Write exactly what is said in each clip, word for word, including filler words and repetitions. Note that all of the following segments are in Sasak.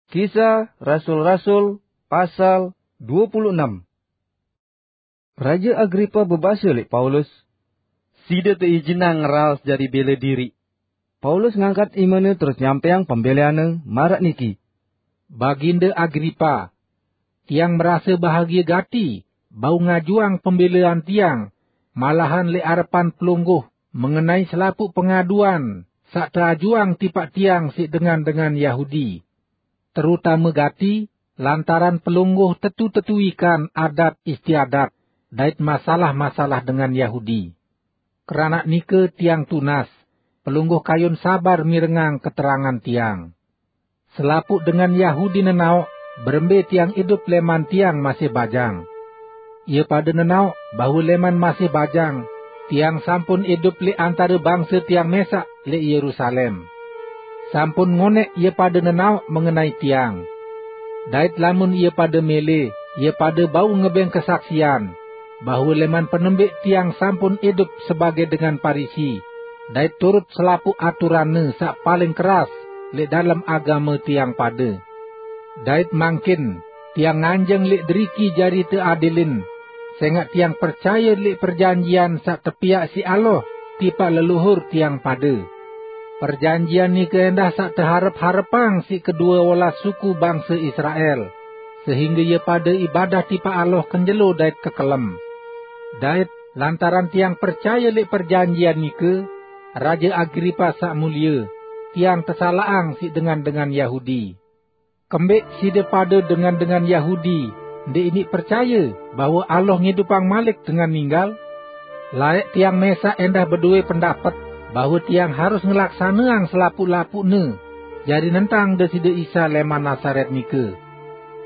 Kisah Rasul-Rasul pasal dua puluh enam. Raja Agripa bebase lek Paulus, "Side teijinang ngeraos jari bele diri." Paulus ngangkat imene terus nyampeang pembeleanne maraq niki, "Baginda Agripa, tiang merase bahagie gati bau ngajuang pembelean tiang, malahan lek arepan pelungguh mengenai selapuq pengaduan saq teajuang tipaq tiang siq dengan-dengan Yahudi, terutame gati lantaran pelungguh tetu-tetu ikan adat istiadat dait masalah-masalah dengan Yahudi. Keranaq nike tiang tunas, pelungguh kayun sabar mirengang keterangan tiang. Selapuq dengan Yahudi nenaoq berembe tiang idup leman tiang masih bajang. Ie pade nenaoq bahwe leman masih bajang, tiang sampun idup lek antare bangse tiang mesaq lek Yerusalem. Sampun ngoneq ie pade nenaoq mengenai tiang. Dait lamun ie pade mele, ie pade bau ngebeng kesaksian, bahwe leman penembeq tiang sampun idup sebage dengan Parisi, dait turut selapuq aturanne saq paling keras lek dalem agame tiang pade. Dait mangkin tiang nganjeng lek deriki jari teadilin, sengaq tiang percaye lek perjanjian saq tepiaq siq Allah tipaq leluhur tiang pade. Perjanjian nike endah saq teharep-harepang siq kedue olas suku bangse Israel, sehingge ie pade ibadah tipaq Allah kenjelo dait kekelem. Dait lantaran tiang percaye lek perjanjian nike, Raja Agripa saq mulie, tiang tesalaqang siq dengan-dengan Yahudi. Kembeq side pade dengan-dengan Yahudi ndeq iniq percaye bahwe Allah ngidupang malik dengan ninggal? Laeq tiang mesaq endah bedoe pendapet bahwe tiang harus ngelaksaneang selapuq-lapuqne jari nentang Deside Isa leman Nasaret nike.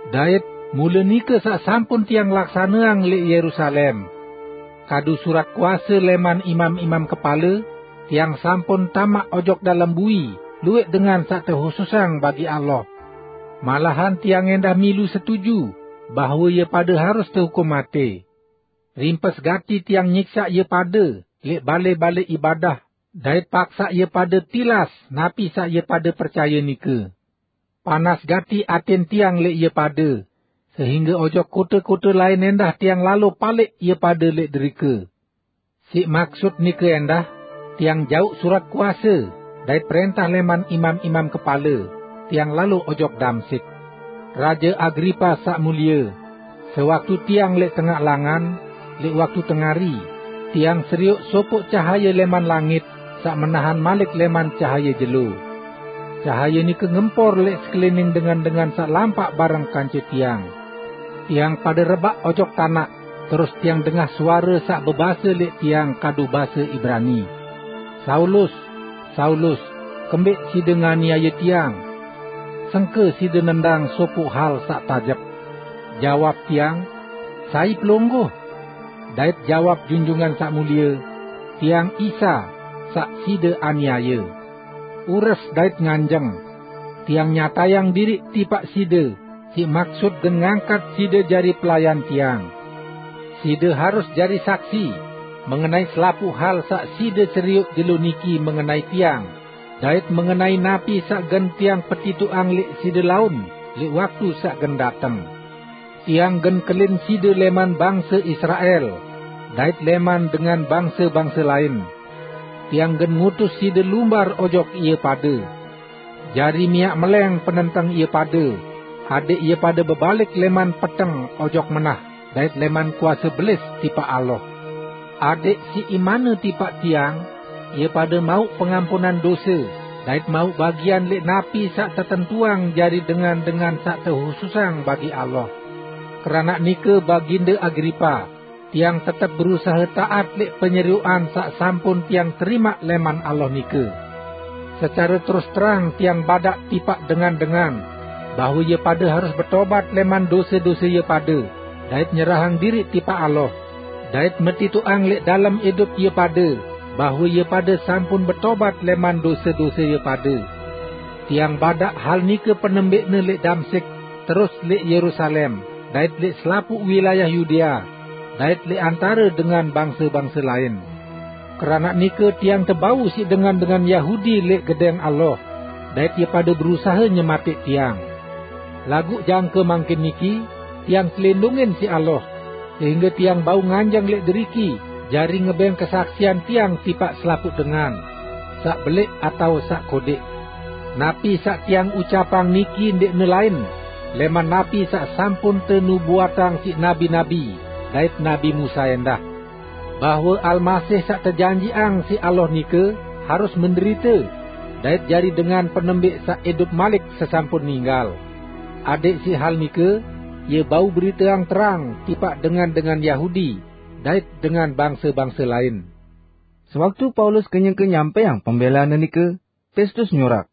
Dait mule nike saq sampun tiang laksaneang lek Yerusalem. Kadu surat kuase leman imam-imam kepale, tiang sampun tamaq ojok dalem bui lueq dengan saq tehususang bagi Allah. Malahan tiang endah milu setuju bahwe ie pade harus tehukum mate. Rimpes gati tiang nyiksaq ie pade lek bale-bale ibadah, dait paksaq ie pade tilas napi saq ie pade percaye nike. Panas gati aten tiang lek ie pade, sehingge ojok kote-kote laen endah tiang lalo palek ie pade lek derike. Siq maksut nike endah, tiang jauq surat kuase dait prentah leman imam-imam kepale, tiang lalo ojok Damsik. Raje Agripa saq mulie, sewaktu tiang lek tengaq langan, lek waktu tengari, tiang serioq sopoq cahaye leman langit saq menahan malik leman cahaye jelo. Cahaye nike ngempor lek sekelining dengan-dengan saq lampaq bareng kance tiang. Tiang pade rebaq ojok tanaq, terus tiang dengah suare saq bebase lek tiang kadu base Ibrani, 'Saulus, Saulus, kembeq side nganiaye tiang? Sengke side nendang sopoq hal saq tajep?' Jawab tiang, 'Sai Pelungguh?' Dait jawab Junjungan Saq Mulie, 'Tiang Isa, saq side aniaye. Ures dait nganjeng, tiang nyatayang diriq tipaq side siq maksut gen ngangkat side jari pelayan tiang. Side harus jari saksi mengenai selapuq hal saq side serioq jelo niki mengenai tiang, dait mengenai napi saq gen tiang petitoqang lek side laun lek waktu saq gen dateng. Tiang gen kelin side leman bangse Israel dait leman dengan bangse-bangse laen. Tiang gen ngutus side lumbar ojok ie pade, jari miaq meleng penenteng ie pade, adeq ie pade bebalik leman peteng ojok menah dait leman kuase belis tipaq Allah, adeq siq imanne tipaq tiang, ie pade mauq pengampunan dose dait mauq bagian lek napi saq tetentuang jari dengan-dengan saq tehususang bagi Allah. Keranaq nike, Baginde Agripa, tiang tetep berusahe taat lek penyerioqan saq sampun tiang terimaq leman Allah nike. Secare terus terang tiang badaq tipaq dengan-dengan bahwe ie pade harus betobat leman dose-dose ie pade dait nyerahang diriq tipaq Allah, dait metitoqang lek dalem idup ie pade bahwe ie pade sampun betobat leman dose-dose ie pade. Tiang badaq hal nike penembeqne lek Damsik, terus lek Yerusalem, dait lek selapuq wilayah Yudea, dait lek antare dengan bangse-bangse laen. Keranaq nike tiang tebau siq dengan-dengan Yahudi lek gedeng Allah, dait ie pade berusahe nyemateq tiang. Laguq jangke mangkin niki, tiang telindungin siq Allah, sehingge tiang bau nganjeng leq deriki jari ngebeng kesaksian tiang tipaq selapuq dengan, saq beleq atao saq kodeq. Napi saq tiang ucapang niki ndeqne lain leman napi saq sampun tenubuatang siq nabi-nabi dait Nabi Musa endah, bahwe Almasih saq tejanjiqang siq Allah nike harus menderite dait jari dengan penembeq saq idup malik sesampun ninggal. Adeq siq hal nike, ie bau beriteang terang tipaq dengan-dengan Yahudi dait dengan bangse-bangse lain. Sewaktu Paulus kenyeke nyampeang pembelane nike, Pestus nyurak,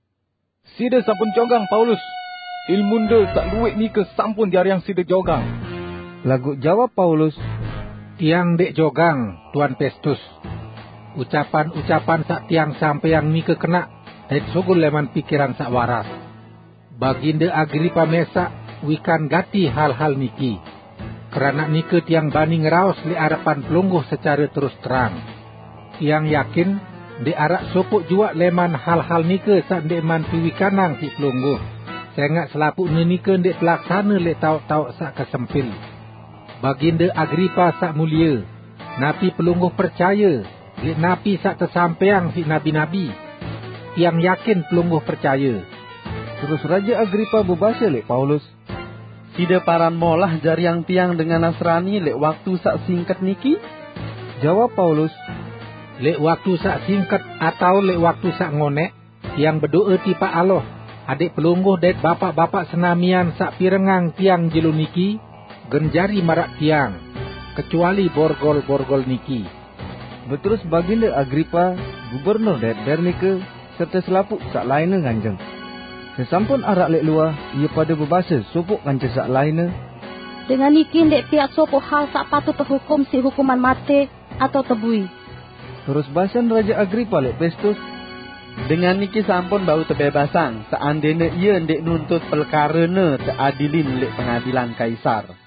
"Side sampun jogang, Paulus! Ilmunde saq luwih nike sampun jariang side jogang." Laguq jawab Paulus, "Tiang ndeq jogang, Tuan Pestus. Ucapan-ucapan saq tiang sampeang nike kenaq dait sugul leman pikiran saq waras. Baginde Agripa mesaq wikan gati hal-hal niki. Keranaq nike tiang bani ngeraos leq arepan pelungguh secare terus terang. Tiang yakin ndeq araq sopoq juaq leman hal-hal nike saq ndeqman tewikanang siq pelungguh, sengaq selapuqne nike ndeq telaksane leq taoq-taoq saq kesempil. Baginde Agripa saq mulie, napi pelungguh percaye leq napi saq tesampeang siq nabi-nabi? Tiang yakin pelungguh percaye." Terus Raje Agripa bebase leq Paulus, "Side paran molah jariang tiang dengan Nasrani leq waktu saq singket niki?" Jawab Paulus, "Leq waktu saq singket atao leq waktu saq ngoneq, tiang bedoe tipaq Allah, adeq pelungguh dait bapaq-bapaq senamian saq pirengang tiang jelo niki, gen jari maraq tiang, kecuali borgol-borgol niki." Beterus Baginde Agripa, gubernur dait Bernike, serte selapuq saq lainne nganjeng. Sesampun araq leq luah, ie pade bebase sopoq kance saq lainne, "Dengan niki ndeq piaq sopoq hal saq patut tehukum siq hukuman mate atao tebui." Terus basen Raje Agripa leq Pestus, "Dengan niki sampun bau tebebasang, seandene ie ndeq nuntut pelekarene teadilin leq pengadilan Kaisar."